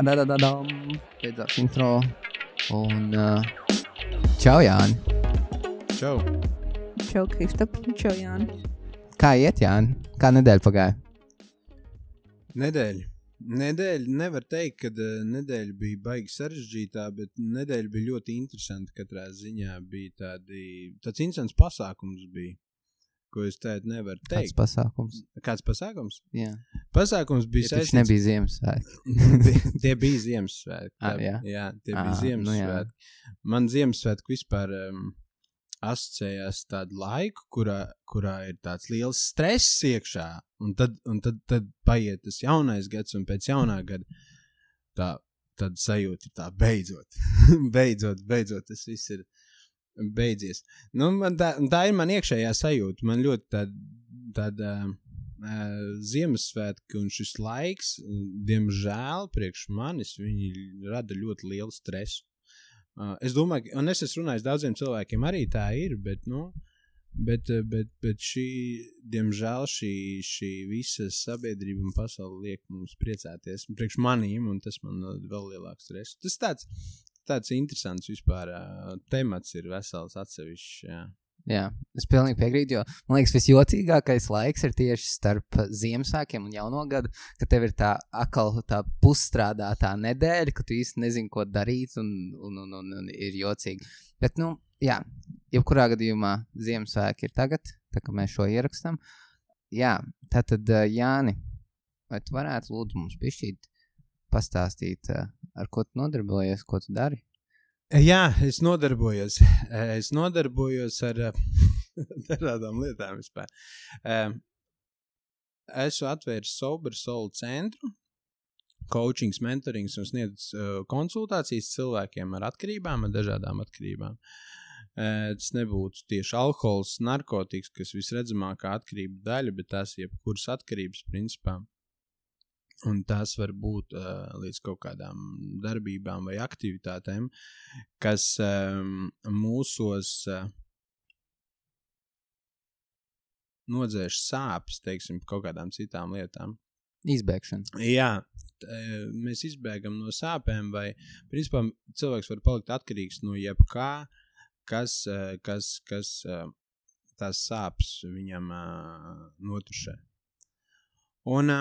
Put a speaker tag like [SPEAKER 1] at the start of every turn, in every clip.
[SPEAKER 1] Beidzās intro. Un čau, Jāni.
[SPEAKER 2] Čau.
[SPEAKER 3] Čau, Kristap. Čau, Jāni.
[SPEAKER 1] Kā iet, Jāni? Kā nedēļa pagāja?
[SPEAKER 2] Nedēļa nevar teikt, ka nedēļa bija baigi sarežģītā, bet nedēļa bija ļoti interesanta katrā ziņā. Bija tāds interesants pasākums bija, ko es tādu nevaru teikt. Kāds pasākums?
[SPEAKER 1] Jā.
[SPEAKER 2] Pasākums bija
[SPEAKER 1] saistīts. Nebija Ziemassvētki.
[SPEAKER 2] Tie bija Ziemassvētki.
[SPEAKER 1] Jā,
[SPEAKER 2] tie bija Ziemassvētki. Nu, man Ziemassvētki vispār asociējās tādu laiku, kurā ir tāds liels stress iekšā, un tad paiet tas jaunais gads, un pēc jaunā gada tad sajūta ir tā beidzot, tas viss ir beidzies. Nu, tā ir man iekšējā sajūta. Man ļoti tāda Ziemassvētki un šis laiks, diemžēl, priekš manis, viņi rada ļoti lielu stresu. Es domāju, un es esmu runājis daudziem cilvēkiem, arī tā ir, bet diemžēl šī visa sabiedrība un pasaule liek mums priecāties priekš manīm, un tas man vēl lielāks stress. Tas tāds interesants vispār temats ir vesels atsevišķs,
[SPEAKER 1] Jā, es pilnīgi piekrītu, jo man liekas visjocīgākais laiks ir tieši starp Ziemassvētkiem un jauno gadu, ka tev ir tā pusstrādātā nedēļa, ka tu īsti nezini, ko darīt un ir jocīgi. Bet, jā, jebkurā gadījumā Ziemassvētki ir tagad, tā kā mēs šo ierakstam. Jā, tātad, Jāni, vai tu varētu lūdzu mums bišķīt pastāstīt, ar ko tu nodarbojies, ko tu dari?
[SPEAKER 2] Jā, es nodarbojos ar dažādām lietām vispār. Esmu atvēris Sober Soul centru, coachings, mentorings un sniedz konsultācijas cilvēkiem ar atkarībām, ar dažādām atkarībām. Tas nebūtu tieši alkohols, narkotikas, kas visredzamākā atkarība daļa, bet tās jebkuras atkarības principā. Un tās var būt līdz kaut kādām darbībām vai aktivitātēm, kas mūsos nodzēš sāpes, teiksim, kaut kādām citām lietām.
[SPEAKER 1] Izbēgšana.
[SPEAKER 2] Jā, mēs izbēgam no sāpēm, vai principā cilvēks var palikt atkarīgs no jebkā, kas tās sāpes viņam notušē. Un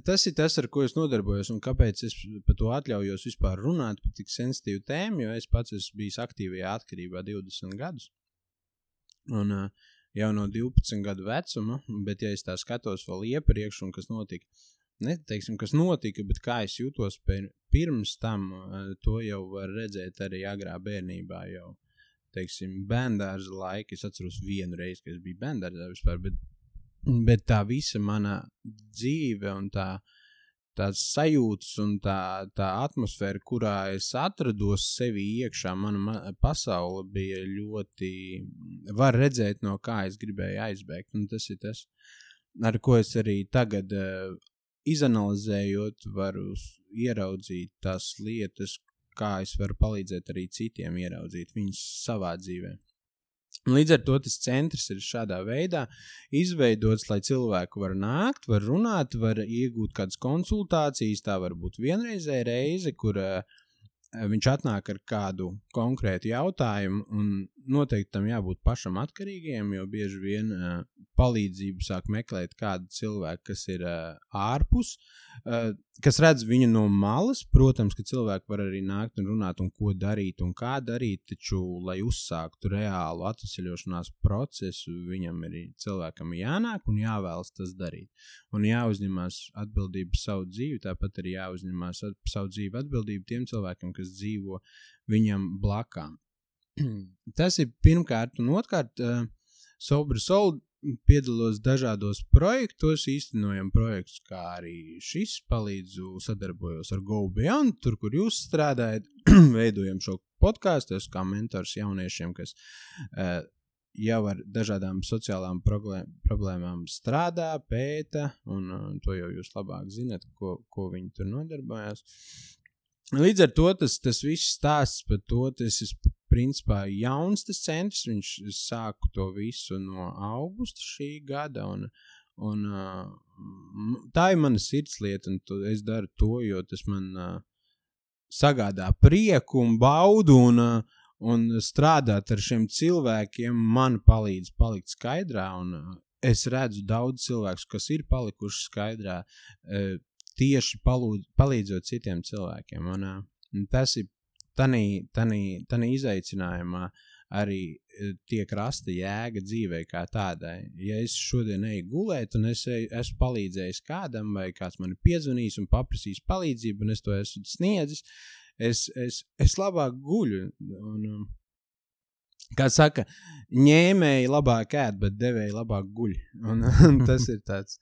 [SPEAKER 2] tas ir tas, ar ko es nodarbojos, un kāpēc es par to atļaujos vispār runāt par tik sensitīvu tēmu, jo es pats esmu bijis aktīvajā atkarībā 20 gadus. Un jau no 12 gadu vecuma, bet ja es tā skatos vēl iepriekš, un kas notika, neteiksim, kas notika, bet kā es jūtos pirms tam, to jau var redzēt arī agrā bērnībā jau, teiksim, bērndārza laika. Es atceros vienu reizi, ka es biju bērndārzā vispār, bet tā visa mana dzīve un tās sajūtas un tā atmosfēra, kurā es atrados sevi iekšā, mana pasaule bija ļoti, var redzēt, no kā es gribēju aizbēgt. Un tas ir tas, ar ko es arī tagad izanalizējot, varu ieraudzīt tās lietas, kā es varu palīdzēt arī citiem ieraudzīt viņus savā dzīvē. Līdz ar to tas centrs ir šādā veidā izveidots, lai cilvēku var nākt, var runāt, var iegūt kādas konsultācijas, tā var būt vienreizēja reize, kur viņš atnāk ar kādu konkrētu jautājumu, un noteikti tam jābūt pašam atkarīgiem, jo bieži vien palīdzību sāk meklēt kādu cilvēku, kas ir ārpus, kas redz viņu no malas. Protams, ka cilvēki var arī nākt un runāt un ko darīt un kā darīt, taču, lai uzsāktu reālu atveseļošanās procesu, viņam ir cilvēkam jānāk un jāvēlas tas darīt. Un jāuzņemās atbildību savu dzīvi, tāpat arī jāuzņemās savu dzīvi atbildību tiem cilvēkiem, kas dzīvo viņam blakām. Tas ir pirmkārt, un otrkārt, Sober Soul piedalos dažādos projektos, īstenojam projektus, kā arī šis, sadarbojos ar Go Beyond, tur, kur jūs strādājat, veidojam šo podcastu, es kā mentors jauniešiem, kas jau ar dažādām sociālām problēmām strādā, pēta, un to jau jūs labāk zinat, ko viņi tur nodarbojās. Līdz ar to tas viss stāsts par to, tas ir principā jauns tas centrs, viņš sāku to visu no augusta šī gada, Un tā ir mana sirdslieta, un es daru to, jo tas man sagādā prieku un baudu, un strādāt ar šiem cilvēkiem man palīdz palikt skaidrā, un es redzu daudz cilvēkus, kas ir palikuši skaidrā, tieši palīdzot citiem cilvēkiem. Un tas ir tanī izaicinājumā arī tiek rasta jēga dzīvē kā tādai. Ja es šodien eju gulēt un es esmu palīdzējis kādam vai kāds man ir piezvanījis un paprasījis palīdzību un es to esmu sniedzis, es labāk guļu. Un, kā saka, ņēmēji labāk ēd, bet devēji labāk guļ. Un tas ir tāds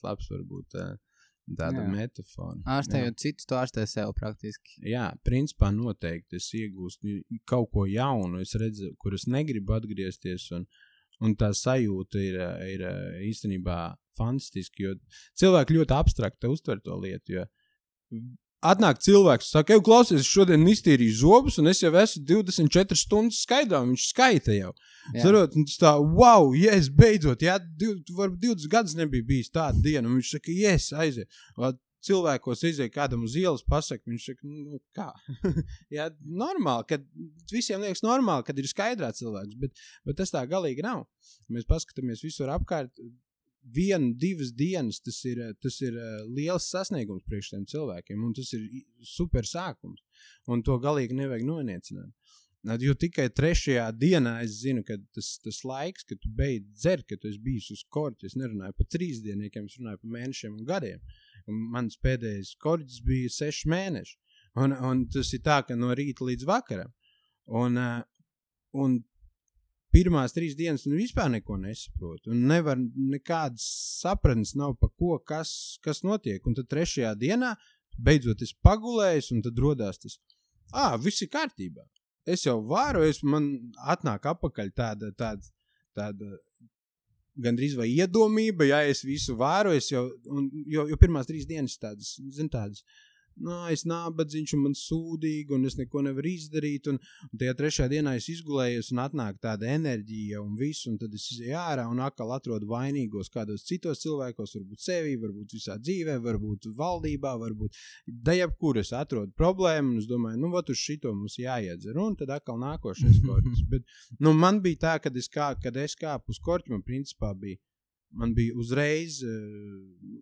[SPEAKER 2] labs varbūt tāda metafora.
[SPEAKER 1] Ārstējot citus, tu ārstē sev praktiski.
[SPEAKER 2] Jā, principā noteikti es iegūstu kaut ko jaunu, es redzu, kur es negribu atgriezties, un tā sajūta ir īstenībā fantastiski, jo cilvēki ļoti abstrakti uztver to lietu, jo atnāk cilvēks, saka, klausies, es šodien iztīrīju zobus, un es jau esmu 24 stundas skaidrā, un viņš skaita jau. Sarot, un tas tā, wow, yes, beidzot, varbūt 20 gadus nebija bijis tāda diena, un viņš saka, yes, aiziet. Cilvēkos iziet kādam uz ielas pasaka, viņš saka, kā? Jā, normāli, kad visiem liekas normāli, kad ir skaidrā cilvēks, bet tas tā galīgi nav. Mēs paskatāmies visur apkārt, 1-2 dienas, tas ir liels sasniegums priekš tiem cilvēkiem, un tas ir super sākums, un to galīgi nevajag noniecināt. Jo tikai 3. dienā es zinu, ka tas laiks, kad tu beidz dzert, kad tu esi bijis uz korķi, es nerunāju par 3 dienniekiem, es runāju par mēnešiem un gadiem, un mans pēdējais korķis bija 6 mēneši, un tas ir tā, ka no rīta līdz vakaram, un pirmās 3 dienas un vispār neko nesaprotu. Un nevar nekādas sapratnes nav pa ko, kas notiek. Un tad 3. dienā beidzot es pagulējis un tad rodās tas, viss ir kārtībā. Es jau varu, man atnāk apakaļ tāda gandrīz vai iedomība, ja es visu varu, jo pirmās 3 dienas tādas, es nābadzīņš un man sūdīgi un es neko nevaru izdarīt un tajā 3. dienā es izgulējos un atnāk tāda enerģija un visu un tad es izēju ārā un atkal atrodu vainīgos kādos citos cilvēkos, varbūt sevī, varbūt visā dzīvē, varbūt valdībā, varbūt jebkur es atrodu problēmu un es domāju, vat uz šito mums jāiedzer un tad atkal nākošais korķis. Bet man bija tā, kad es kāpu uz korķi, man bija uzreiz,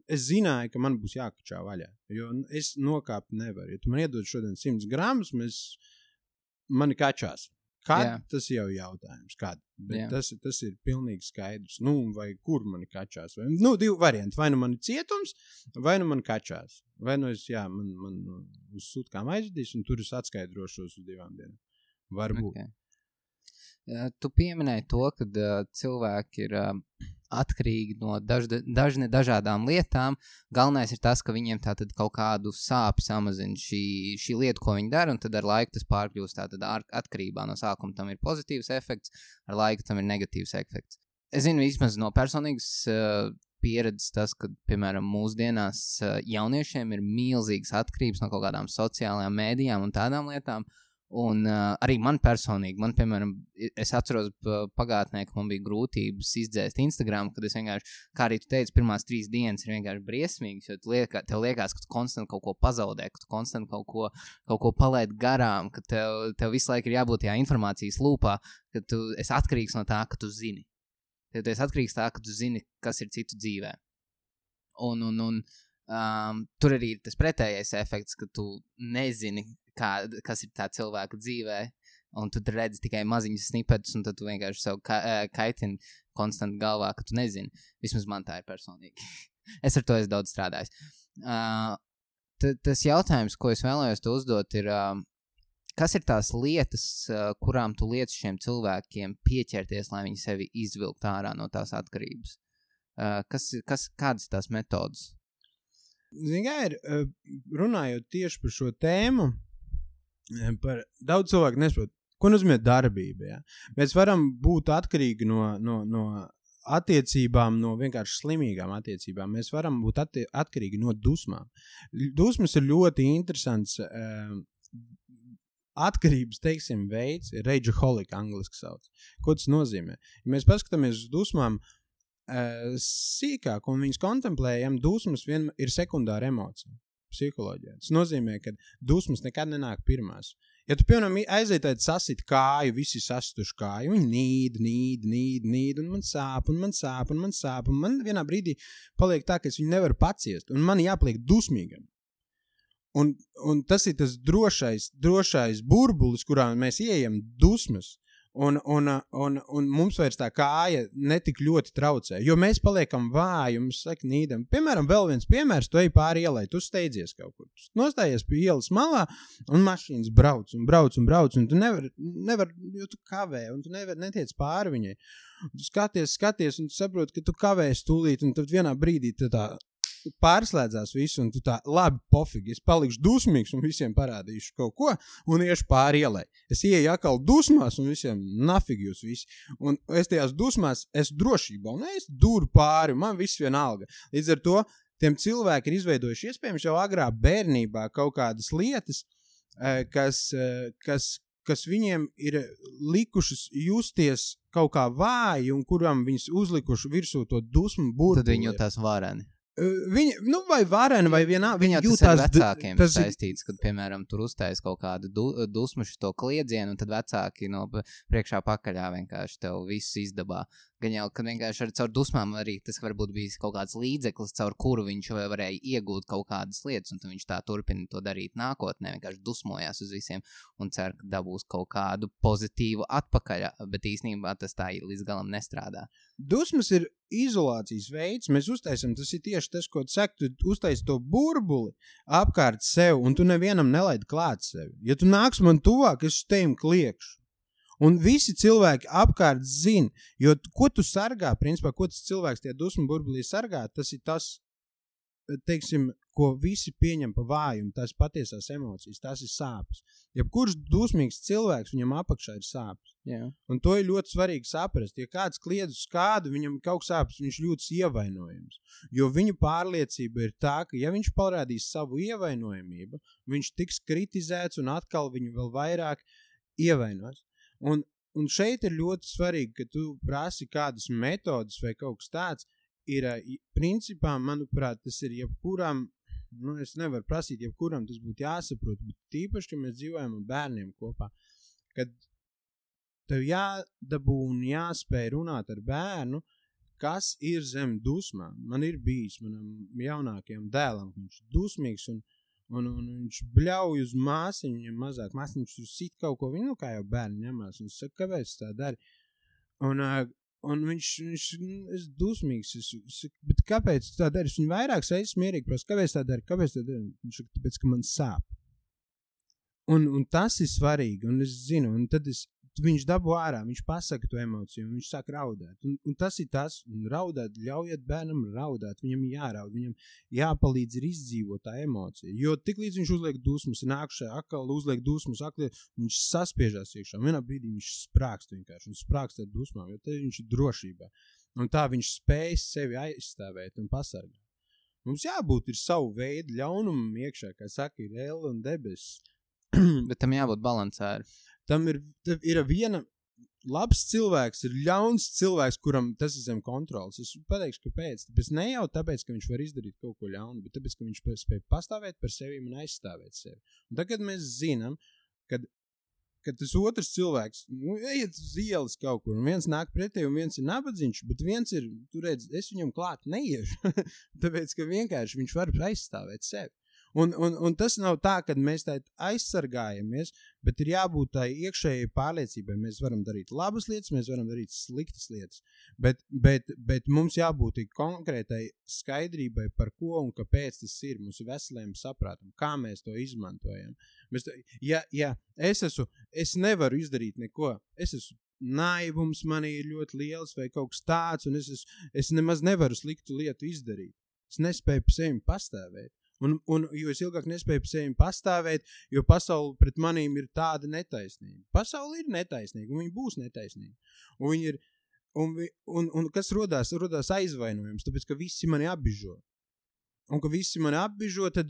[SPEAKER 2] es zināju, ka man būs jākačā vaļā, jo es nokāpt nevaru. Ja tu man iedod šodien 100 gramus, mani kačās. Kad? Tas jau jautājums. Kad? Bet tas ir pilnīgi skaidrs. Vai kur mani kačās? 2 varianti. Vai nu man ir cietums, vai nu man kačās. Vai nu man uz sutkām aizvedīs, un tur es atskaidrošos uz 2 dienām. Varbūt.
[SPEAKER 1] Okay. Tu pieminēji to, ka cilvēki ir atkarīgi no dažādām lietām. Galvenais ir tas, ka viņiem tātad kaut kādu sāpi samazina šī lieta, ko viņi dara, un tad ar laiku tas pārkļūst tātad atkarībā. No sākuma tam ir pozitīvs efekts, ar laiku tam ir negatīvs efekts. Es zinu vismaz no personīgas pieredzes tas, ka, piemēram, mūsdienās jauniešiem ir milzīgas atkarības no kaut kādām sociālajām mēdījām un tādām lietām. Un arī man personīgi, piemēram, es atceros pagātnē, ka man bija grūtības izdzēst Instagram, kad es vienkārši, kā arī tu teici, pirmās 3 dienas ir vienkārši briesmīgas, jo tev liekas, ka tu konstanti kaut ko pazaudē, ka tu konstanti kaut ko palaid garām, ka tev visu laiku ir jābūt tajā informācijas lūpā, ka tu esi atkarīgs no tā, ka tu zini. Tu esi atkarīgs tā, ka tu zini, kas ir citu dzīvē. Un tur arī ir tas pretējais efekts, ka tu nezini, kas ir tā cilvēka dzīvē, un tu redzi tikai maziņas snipetus, un tad tu vienkārši sev kaitini konstanti galvā, ka tu nezini. Vismaz man tā ir personīgi. Es ar to esmu daudz strādājis. Tas jautājums, ko es vēlējos te uzdot, ir, kas ir tās lietas, kurām tu liec šiem cilvēkiem pieķerties, lai viņi sevi izvilkt ārā no tās atkarības? Kādas tās metodas?
[SPEAKER 2] Runājot tieši par šo tēmu, daudz cilvēku nesaprot, ko nozīmē darbība. Ja? Mēs varam būt atkarīgi no attiecībām, no vienkārši slimīgām attiecībām. Mēs varam būt atkarīgi no dusmām. Dusmas ir ļoti interesants atkarības, teiksim, veids, rageaholic angliski sauc. Ko tas nozīmē? Ja mēs paskatāmies uz dusmām, sīkāk un viņas kontemplējam, dusmas ir sekundāra emocija psiholoģijā. Tas nozīmē, ka dusmas nekad nenāk pirmās. Ja tu, piemēram, aiziet sasit kāju, visi sasituši kāju, viņi nīd, un man sāp, un man vienā brīdī paliek tā, ka es viņu nevaru paciest, un man jāpaliek dusmīgam. Un tas ir tas drošais burbulis, kurā mēs ieejam dusmas. Un mums vairs tā kāja netik ļoti traucē, jo mēs paliekam vāji un mēs nīdam. Piemēram, vēl viens piemērs, tu ej pāri ielai, tu steidzies kaut kur. Tu nostājies pie ielas malā un mašīnas brauc, un tu nevar, jo tu kavē, un tu netiec pāri viņai. Tu skaties, un tu saproti, ka tu kavēsi tūlīt, un tad vienā brīdī tā pārslēdzās visu, un tu tā, labi, pofīgi, es palikšu dusmīgs un visiem parādīšu kaut ko, un iešu pāri ielai. Es ieeju atkal dusmās, un visiem nafigi jūs visi. Un es tajās dusmās, esmu drošībā, un es duru pāri, man viss vienalga. Līdz ar to, tiem cilvēki ir izveidojuši iespējams jau agrā bērnībā kaut kādas lietas, kas viņiem ir likušas justies kaut kā vāji, un kuram viņas uzlikuši virsū to dusmu burbuli.
[SPEAKER 1] Tad viņi jūtās vareni.
[SPEAKER 2] Viņi, vai vareni, vai vienā,
[SPEAKER 1] viņi jūtās... Tas ir vecākiem saistīts, kad, piemēram, tur uztais kaut kādu dusmu šito kliedzienu, un tad vecāki no priekšā pakaļā vienkārši tev visu izdabā. Gan jau, kad vienkārši ar caur dusmām arī tas varbūt bijis kaut kāds līdzeklis, caur kuru viņš varēja iegūt kaut kādas lietas, un tad viņš tā turpina to darīt nākotnē, vienkārši dusmojās uz visiem un cer, ka dabūs kaut kādu pozitīvu atpakaļ, bet īstenībā tas tā līdz galam nestrādā.
[SPEAKER 2] Dusmas ir izolācijas veids, mēs uztaisam, tas ir tieši tas, ko tu saki, tu uztaisi to burbuli apkārt sev, un tu nevienam nelaidi klāt sevi. Ja tu nāks man tuvāk, es teim kliekšu. Un visi cilvēki apkārt zina, jo ko tu sargā, principā, ko tas cilvēks tie dusmu burbulī sargā, tas ir tas, teiksim, ko visi pieņem pa vājumu, tās patiesās emocijas, tās ir sāpes. Jebkurš dusmīgs cilvēks, viņam apakšā ir sāpes.
[SPEAKER 1] Jā.
[SPEAKER 2] Un to ir ļoti svarīgi saprast. Ja kāds kliedz uz kādu, viņam ir kaut sāpes, viņš jūtas ievainojams. Jo viņa pārliecība ir tā, ka ja viņš parādīs savu ievainojamību, viņš tiks kritizēts un atkal viņu vēl vairāk ievainos. Un šeit ir ļoti svarīgi, ka tu prasi kādas metodas vai kaut kas tāds, ir principā, manuprāt, tas ir jebkuram, es nevaru prasīt jebkuram, tas būtu jāsaprot, bet tīpaši, ka mēs dzīvojam ar bērniem kopā, kad tev jādabū un jāspēj runāt ar bērnu, kas ir zem dusmām. Man ir bijis manam jaunākajam dēlam, viņš ir dusmīgs un viņš bļauj uz māsiņu, viņam mazāk. Māsiņš tur sit kaut ko, viņu kā jau bērni ņemās. Un es saku, kāpēc tā dari? Un viņš es dusmīgs. Bet kāpēc tā dari? Es viņu vairāk reizes mierīgi prasa, kāpēc tā dari? Viņš saka, tāpēc, ka man sāp. Un tas ir svarīgi, un es zinu, un tad viņš dabū ārā, viņš pasaka to emociju, un viņš sāk raudāt. Un tas ir tas, un raudāt, ļaujiet bērnam raudāt, viņam jāraud, viņam jāpalīdz ir izdzīvot tā emocija. Jo tik līdz viņš uzliek dusmas, nākušā akal uzliek dusmas, viņš saspiežās iekšā. Vienā brīdī viņš sprākst vienkārši, un sprākst ar dusmām, jo te viņš ir drošībā. Un tā viņš spēj sevi aizstāvēt un pasargāt. Mums jābūt ir savu veidu ļaunumam iekšā, kā saka, ir elle un debesis.
[SPEAKER 1] Bet tam jābūt balansēri.
[SPEAKER 2] Tam ir viena labs cilvēks, ir ļauns cilvēks, kuram tas ir zem kontrolas. Es pateikšu, kāpēc. Tāpēc ne jau tāpēc, ka viņš var izdarīt kaut ko ļaunu, bet tāpēc, ka viņš spēj pastāvēt par sevi un aizstāvēt sevi. Un tagad mēs zinām, kad tas otrs cilvēks, ejiet uz ielas kaut kur, un viens nāk pretī, un viens ir nabadzīgs, bet viens ir, tu redz, es viņam klāt neiešu, tāpēc, ka vienkārši viņš var aizstāvēt sevi. Un tas nav tā, ka mēs tā aizsargājamies, bet ir jābūt tā iekšējai pārliecībai. Mēs varam darīt labas lietas, mēs varam darīt sliktas lietas, bet mums jābūt konkrētai skaidrībai par ko un kāpēc tas ir. Mums ir veseliem saprātam, kā mēs to izmantojam. Es nevaru izdarīt neko, es esmu naivums manī ir ļoti liels vai kaut kas tāds, un es nemaz nevaru sliktu lietu izdarīt. Es nespēju par sevi pastāvēt. Jo es ilgāk nespēju par sevi pastāvēt, jo pasaule pret manīm ir tāda netaisnība. Pasaule ir netaisnīga, un viņa būs netaisnīga. Un kas rodās aizvainojums, tāpēc, ka visi mani apbižo. Un ka visi mani apbižo, tad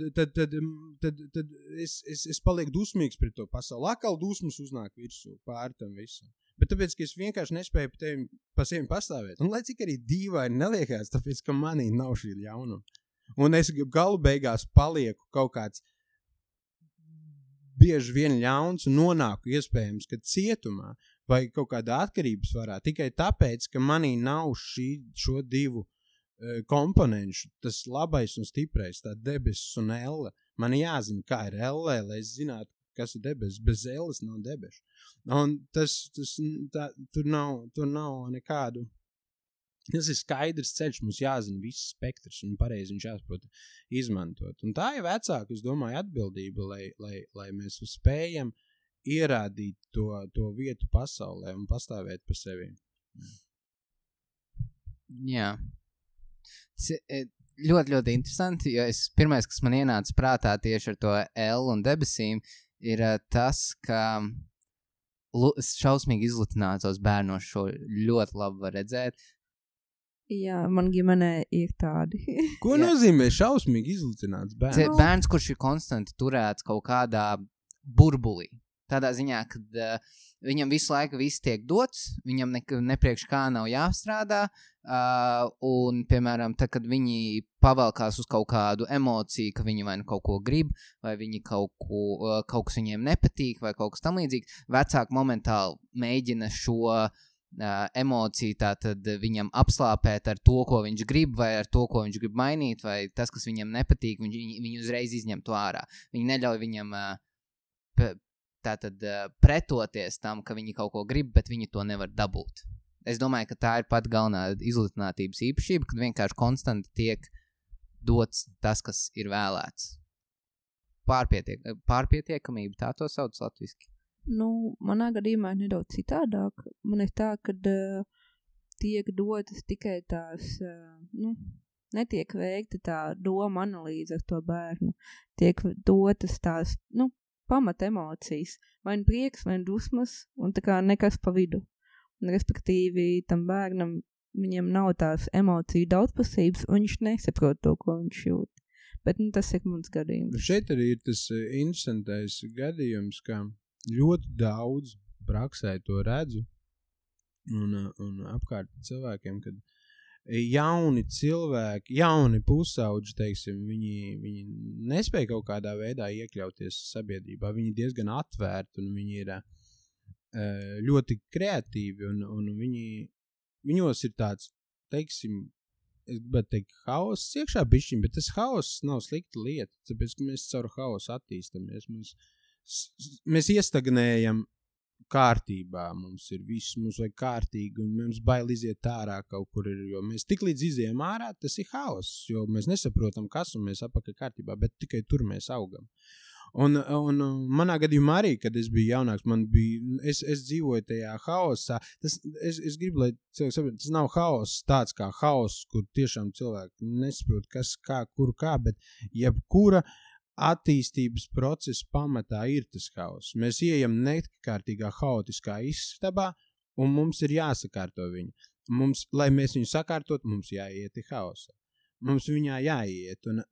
[SPEAKER 2] es palieku dusmīgs pret to pasauli. Akal dusmas uznāk virsū pār tam visam. Bet tāpēc, ka es vienkārši nespēju pa sevi pastāvēt. Un lai cik arī dīvaini neliekās, tāpēc, ka manī nav šī ļaunuma. Un es galu beigās palieku kaut kāds bieži vien ļauns un nonāku iespējams, ka cietumā vai kaut kādā atkarības varā tikai tāpēc, ka manī nav šo divu komponenšu, tas labais un stiprais, tā debesis un elle. Man jāzina, kā ir elle, lai es zinātu, kas ir debesis. Bez elles nav debešu. Un tur nav nekādu. Tas ir skaidrs ceļš, mums jāzina viss spektrs un pareizi viņš jāsaprot izmantot. Un tā ir vecāka, es domāju, atbildība, lai mēs spējam ierādīt to vietu pasaulē un pastāvēt pa sevi.
[SPEAKER 1] Jā. Ļoti, ļoti interesanti, jo pirmais, kas man ienāca prātā tieši ar to L un debesīm, ir tas, ka šausmīgi izlutinātos bērnos šo ļoti labi var redzēt.
[SPEAKER 3] Jā, man ģimenē ir tādi.
[SPEAKER 2] Ko nozīmē šausmīgi izlutināts bērns?
[SPEAKER 1] Bērns, kurš ir konstanti turēts kaut kādā burbulī. Tādā ziņā, kad viņam visu laiku viss tiek dots, viņam nepriekš kā nav jāstrādā, un, piemēram, tad, kad viņi pavelkās uz kaut kādu emociju, ka viņi vai nu kaut ko grib, vai viņi kaut kas viņiem nepatīk, vai kaut kas tam līdzīgi, vecāki momentāli mēģina šo emociju tātad viņam apslāpēt ar to, ko viņš grib, vai ar to, ko viņš grib mainīt, vai tas, kas viņam nepatīk, viņi uzreiz izņem to ārā. Viņi neļauj viņam tātad pretoties tam, ka viņi kaut ko grib, bet viņi to nevar dabūt. Es domāju, ka tā ir pat galvenā izlutinātības īpašība, kad vienkārši konstanti tiek dots tas, kas ir vēlēts. Pārpietiekamība, tā to sauc latviski.
[SPEAKER 3] Nu, manā gadījumā ir nedaudz citādāk. Man ir tā, ka tiek dotas tikai tās, netiek veikta tā doma analīze ar to bērnu. Tiek dotas tās, pamat emocijas, vai prieks, vai dusmas, un tā kā nekas pa vidu. Un respektīvi tam bērnam, viņam nav tās emociju daudzpusības, un viņš nesaprot to, ko viņš jūt. Bet tas ir mans gadījums.
[SPEAKER 2] Šeit arī ir tas interesantais gadījums, ka ļoti daudz praksē to redzu un apkārt cilvēkiem, kad jauni cilvēki, jauni pusauģi, teiksim, viņi nespēja kaut kādā veidā iekļauties sabiedrībā. Viņi diezgan atvērti un viņi ir ļoti kreatīvi un viņos ir tāds, teiksim, es gribētu teikt, haoss iekšā bišķiņ, bet tas haoss nav slikta lieta, tāpēc, ka mēs caur haosu attīstamies. Mēs iestagnējam kārtībā, mums ir viss, mums vajag kārtīgi, un mums bail iziet ārā kaut kur ir, jo mēs tik līdz izējam ārā, tas ir haoss, jo mēs nesaprotam, kas, un mēs apakaļ kārtībā, bet tikai tur mēs augam. Un manā gadījumā arī, kad es biju jaunāks, es dzīvoju tajā haosā, es gribu, lai cilvēki saprot, tas nav haoss tāds kā haoss, kur tiešām cilvēki nesaprot, kas, kā, kur, kā, bet jebkura attīstības procesa pamatā ir tas haoss. Mēs ieejam nekārtīgā haotiskā istabā, un mums ir jāsakārto viņu. Lai mēs viņu sakārtot, mums jāiet haosā. Mums viņā jāiet, un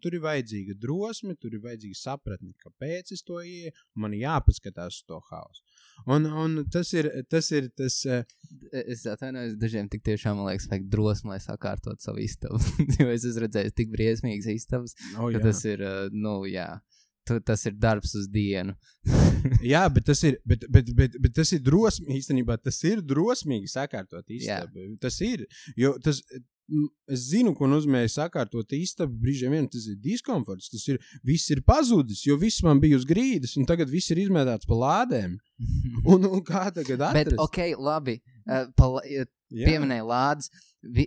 [SPEAKER 2] tur ir vajadzīga drosme, tur ir vajadzīga sapratne, kāpēc es to ieju, un man jāpaskatās uz to haosu. Un tas ir tas...
[SPEAKER 1] Es atvainojos, dažiem tik tiešām, man liekas, vajag drosmi, lai sakārtot savu istabu, jo es esmu redzējis tik briesmīgas istabas, ka tas ir, tas ir darbs uz dienu.
[SPEAKER 2] Jā, bet tas ir drosmīgi, īstenībā tas ir drosmīgi sakārtot istabu. Jā. Tas ir, jo es zinu, ko nozīmē sakārtot istabu, brīžiem vien tas ir diskomforts, viss ir pazudis, jo viss man bija uz grīdas, un tagad viss ir izmētāts pa lādēm. Un kā tagad atrast?
[SPEAKER 1] Bet, labi, pieminēja lādes,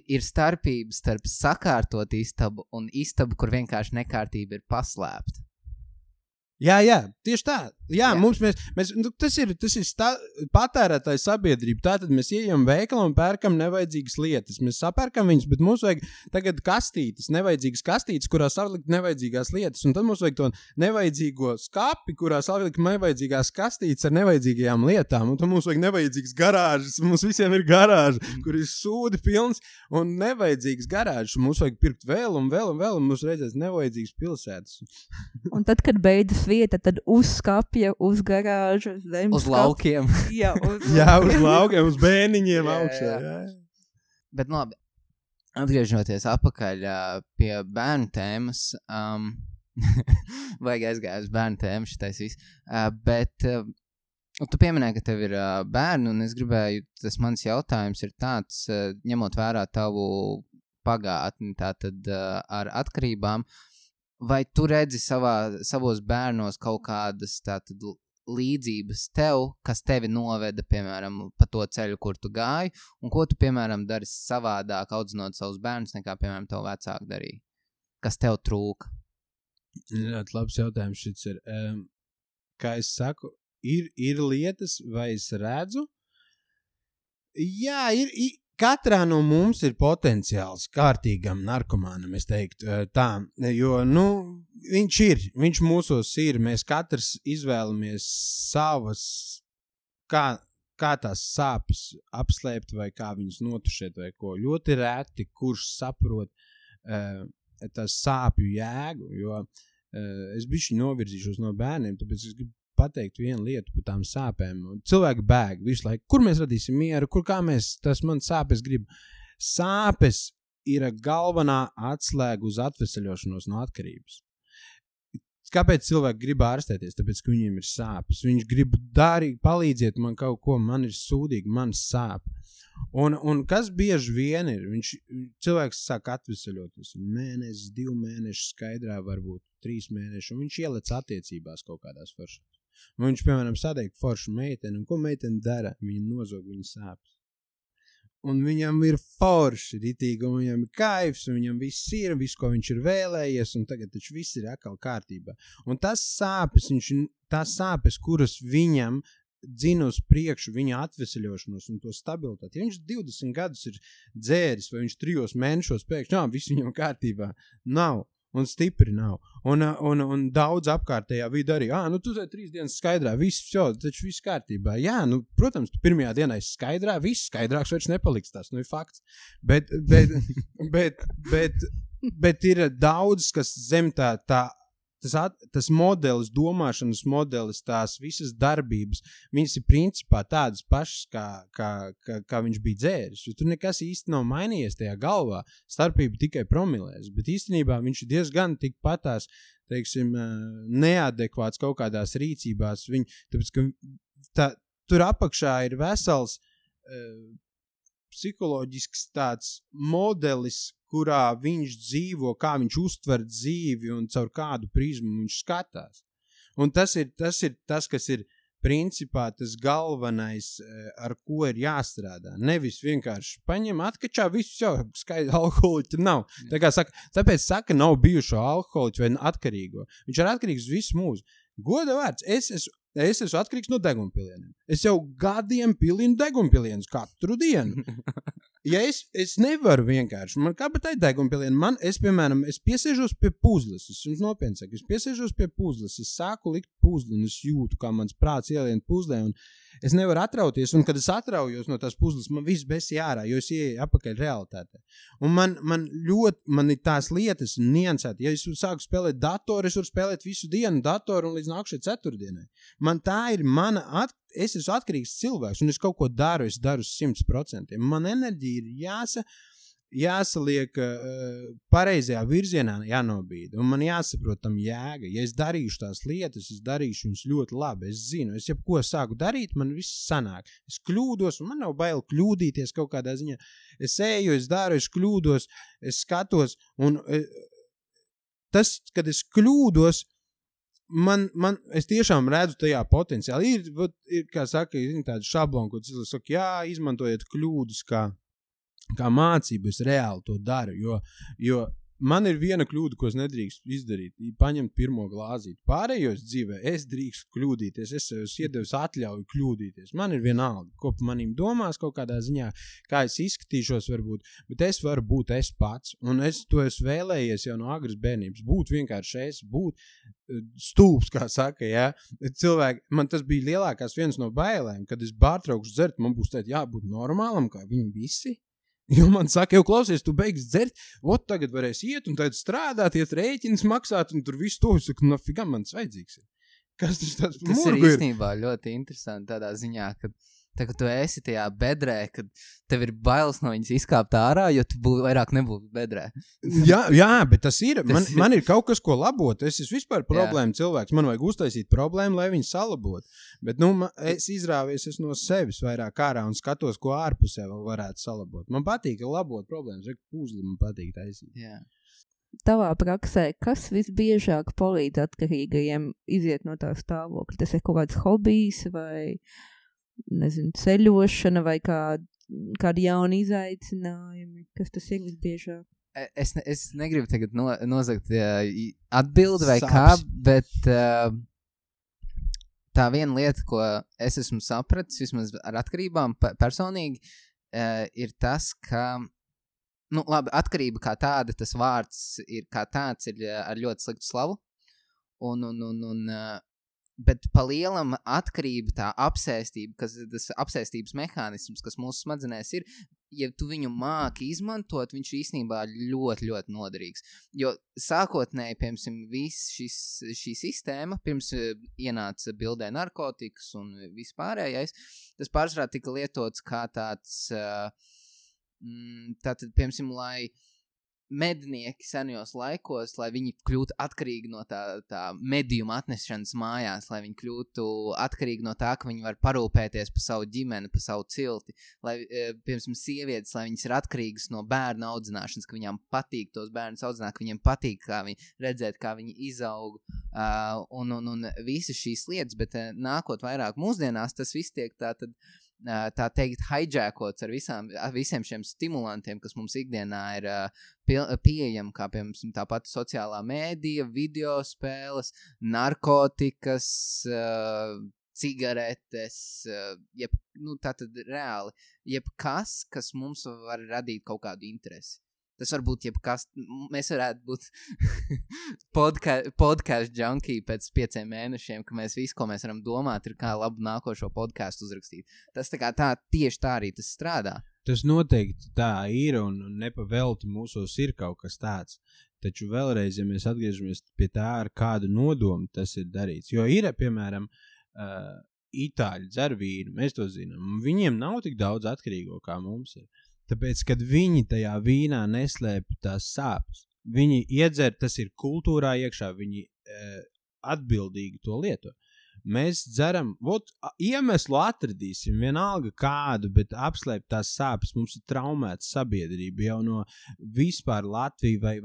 [SPEAKER 1] ir starpības starp sakārtot istabu un istabu, kur vienkārši nekārtība ir paslēpta.
[SPEAKER 2] Jā, tieši tā. Jā. Tas ir patērētāja sabiedrība. Tātad mēs ieejam veikalā un pērkam nevajadzīgas lietas. Mēs sapērkam viņas, bet mums vajag tagad kastītes, nevajadzīgas kastītes, kurā savlikt nevajadzīgās lietas. Un tad mums vajag to nevajadzīgo skapi, kurā savlikt nevajadzīgās kastītes ar nevajadzīgajām lietām. Un tad mums vajag nevajadzīgas garāžas. Mums visiem ir garāža, kur ir sūdi pilns un nevajadzīgas garāžas. Mums vajag pirkt vēl un vēl un vēl, un mums redzēs nevajadzīgas pilsētas.
[SPEAKER 3] Un tad, kad beidzas vieta, tad uz skapja, uz garāžu, zem
[SPEAKER 1] Uz laukiem.
[SPEAKER 3] Jā,
[SPEAKER 2] uz laukiem, uz bēniņiem augšā. Jā.
[SPEAKER 1] Bet nu labi, atgriežoties atpakaļ pie bērnu tēmas, vajag aizgāju uz bērnu tēmu šitais viss, bet tu pieminēji, ka tev ir bērni, un es gribēju, tas mans jautājums ir tāds, ņemot vērā tavu pagātni tātad ar atkarībām, vai tu redzi savos bērnos kaut kādas tātad līdzības tev, kas tevi noveda, piemēram, pa to ceļu, kur tu gāji, un ko tu, piemēram, dari savādāk audzinot savus bērnus, nekā, piemēram, tev vecāki darīja? Kas tev trūka?
[SPEAKER 2] Ļoti labs jautājums šis ir. Kā es saku, ir lietas, vai es redzu? Jā, katrā no mums ir potenciāls kārtīgam narkomānam, es teiktu tā, jo, viņš mūsos ir, mēs katrs izvēlamies savas, kā tās sāpes apslēpt vai kā viņas notušēt vai ko. Ļoti reti, kurš saprot tās sāpju jēgu, jo es bišķi novirzīšos no bērniem, tāpēc es gribu pateikt vienu lietu par tām sāpēm. Cilvēki bēg visu laiku. Kur mēs radīsim mieru? Tas man sāpes grib. Sāpes ir galvenā atslēga uz atveseļošanos no atkarības. Kāpēc cilvēki grib ārstēties? Tāpēc, ka viņiem ir sāpes. Viņš grib palīdziet man kaut ko, man ir sūdīgi, man sāp. Un kas bieži vien ir? Cilvēks sāk atveseļoties. Mēnesis, 2 mēneši skaidrā, varbūt 3 mēneši, un viņš ielec attiecībās kaut kādās foršās. Un viņš, piemēram, satiek foršu meiteni, un ko meiteni dara? Viņa nozog viņa sāpes. Un viņam ir forši ritīgi, un viņam ir kaifs, un viņam viss ir, viss, ko viņš ir vēlējies, un tagad taču viss ir atkal kārtībā. Un tās sāpes, kuras viņam dzina uz priekšu viņa atveseļošanos un to stabilitāti. Ja viņš 20 gadus ir dzēris, vai viņš 3 mēnešos pēkšņi, viss viņam kārtībā, nav. Un stipri nav. Un daudz apkārtējā vidi arī, tu 3 dienas skaidrā, viss kārtībā. Jā, protams, tu pirmajā dienā esi skaidrā, viss skaidrāks vairs nepaliks tas, ir fakts. Bet ir daudz, kas zem tas modelis, domāšanas modelis, tās visas darbības, viņas ir principā tādas pašas, kā viņš bija dzēris. Jo tur nekas īsti nav mainījies tajā galvā, starpība tikai promilēs, bet īstenībā viņš ir diezgan tikpatās, teiksim, neadekvāts kaut kādās rīcībās. Tāpēc, ka tur apakšā ir vesels psiholoģisks tāds modelis, kurā viņš dzīvo, kā viņš uztver dzīvi un caur kādu prizmu viņš skatās. Un tas ir tas, kas ir principā tas galvenais, ar ko ir jāstrādā. Nevis vienkārši paņem atkačā visu jau, skaidri alkoholiķi nav. Tāpēc saka, nav bijušo alkoholiķu vai atkarīgo. Viņš ir atkarīgs visu mūsu. Goda vārds, es esmu atkarīgs no degunpilieniem. Es jau gadiem pilinu degunpilienus katru dienu. Ja es nevaru vienkārši, man kā bet tai degunpilienu, es piesēžos pie puzles, es jums nopietni saku, es piesēžos pie puzles, es sāku likt puzli un es jūtu, kā mans prāts ielien puzlē un es nevaru atrauties, un kad es atraujos no tās puzles, man viss besi ārā, jo es ieeju apakaļ realitātē. Un man ir tās lietas niansēti. Ja es sāku spēlēt datoru, es varu spēlēt visu dienu datoru un līdz nākšai ceturtdienai. Es esmu atkarīgs cilvēks, un es kaut ko daru, es daru 100%. Man enerģija ir jāsaliek pareizajā virzienā, jānobīda, un man jāsaprot tam jēga. Ja es darīšu tās lietas, es darīšu viņas ļoti labi. Es zinu, es jebko sāku darīt, man viss sanāk. Es kļūdos, un man nav bail kļūdīties kaut kādā ziņā. Es eju, es daru, es kļūdos, es skatos, un tas, kad es kļūdos, es tiešām redzu tajā potenciāli. Ir kā saka, tāda šablona, ko cilvēks saka, izmantojiet kļūdas kā mācību, es reāli to daru, jo man ir viena kļūda, ko es nedrīkst izdarīt, paņemt pirmo glāzīti. Pārējos dzīvē es drīkst kļūdīties, es iedevis atļauju kļūdīties. Man ir vienalga, ko pa manim domās kaut kādā ziņā, kā es izskatīšos varbūt, bet es varu būt es pats, un es to esmu vēlējies jau no agras bērnības, būt vienkārši būt stūps, kā saka, jā. Cilvēki, man tas bija lielākās viens no bailēm, kad es pārtraukšu dzert, man būs tēt jābūt normālam, kā viņi visi. Jo man saka, jau klausies, tu beigsi dzert, tagad varēs iet un tad strādāt, iet rēķinas maksāt, un tur visu to, es saku, nafigā man tas vajadzīgs ir. Kas tas
[SPEAKER 1] Tas ir
[SPEAKER 2] murgu ir?
[SPEAKER 1] īstenībā ļoti interesanti tādā ziņā, ka tā, kad tu esi tajā bedrē, kad tev ir bailes no viņas izkāpt ārā, jo tu vairāk nebūtu bedrē.
[SPEAKER 2] Jā, bet tas ir.
[SPEAKER 1] Tas
[SPEAKER 2] Man ir kaut kas, ko labot. Es esmu vispār problēma cilvēks. Man vajag uztaisīt problēmu, lai viņu salabotu. Bet es izrāvies no sevis vairāk ārā un skatos, ko ārpusē vēl varētu salabot. Man patīk labot problēmas. Pūzli man patīk taisīt.
[SPEAKER 1] Jā.
[SPEAKER 3] Tavā praksē, kas visbiežāk palīdz atkarīgajiem iziet no tā stāvokļa? Tas ir kaut kāds hobijs vai, nezinu, ceļošana vai kādi jauni izaicinājumi? Kas tas ir visbiežāk?
[SPEAKER 1] Es negribu tagad nozagt atbildi vai
[SPEAKER 2] Sāpes.
[SPEAKER 1] bet tā viena lieta, ko es esmu sapratis, vismaz ar atkarībām personīgi, ir tas, ka labi, atkarība kā tāda, tas vārds ir kā tāds, ir ar ļoti sliktu slavu. Bet pa lielam atkarība, tā apsēstība, tas apsēstības mehānisms, kas mūsu smadzenēs ir, ja tu viņu māki izmantot, viņš īstenībā ļoti, ļoti noderīgs. Jo sākotnēji, piemēram, šī sistēma, pirms ienāca bildē narkotikas un vispārējais, tas pārsvarā tika lietots kā tāds, tātad, piemēram, lai mednieki senajos laikos, lai viņi kļūtu atkarīgi no tā medījuma atnešanas mājās, lai viņi kļūtu atkarīgi no tā, ka viņi var parūpēties par savu ģimeni, par savu cilti, lai, piemēram, sievietes, lai viņas ir atkarīgas no bērnu audzināšanas, ka viņām patīk tos bērnus audzināt, ka viņiem patīk redzēt, kā viņi izaug, un visas šīs lietas, bet nākot vairāk mūsdienās, tas viss tiek tā teikt hijakots ar visiem šiem stimulantiem, kas mums ikdienā ir pieejami, kā piemēram tā pati sociālā mēdija, video spēles, narkotikas, cigaretes, tātad reāli, jebkas, kas mums var radīt kaut kādu interesi. Tas var būt jebkas, mēs varētu būt podcast junkie pēc 5 mēnešiem, ka mēs visu, ko mēs varam domāt, ir kā labu nākošo podcastu uzrakstīt. Tas tieši tā arī tas strādā.
[SPEAKER 2] Tas noteikti tā ir un nepavelti mūsos ir kaut kas tāds. Taču vēlreiz, ja mēs atgriežamies pie tā, ar kādu nodomu tas ir darīts. Jo ir, piemēram, itāļi dzer vīnu, mēs to zinām. Viņiem nav tik daudz atkarīgo, kā mums ir. Tāpēc, kad viņi tajā vīnā neslēpj tās sāpes, viņi iedzer, tas ir kultūrā iekšā, viņi atbildīgi to lieto. Mēs dzeram, iemeslu atradīsim, vienalga kādu, bet apslēpt tās sāpes, mums ir traumēta sabiedrība jau no vispār Latvija vai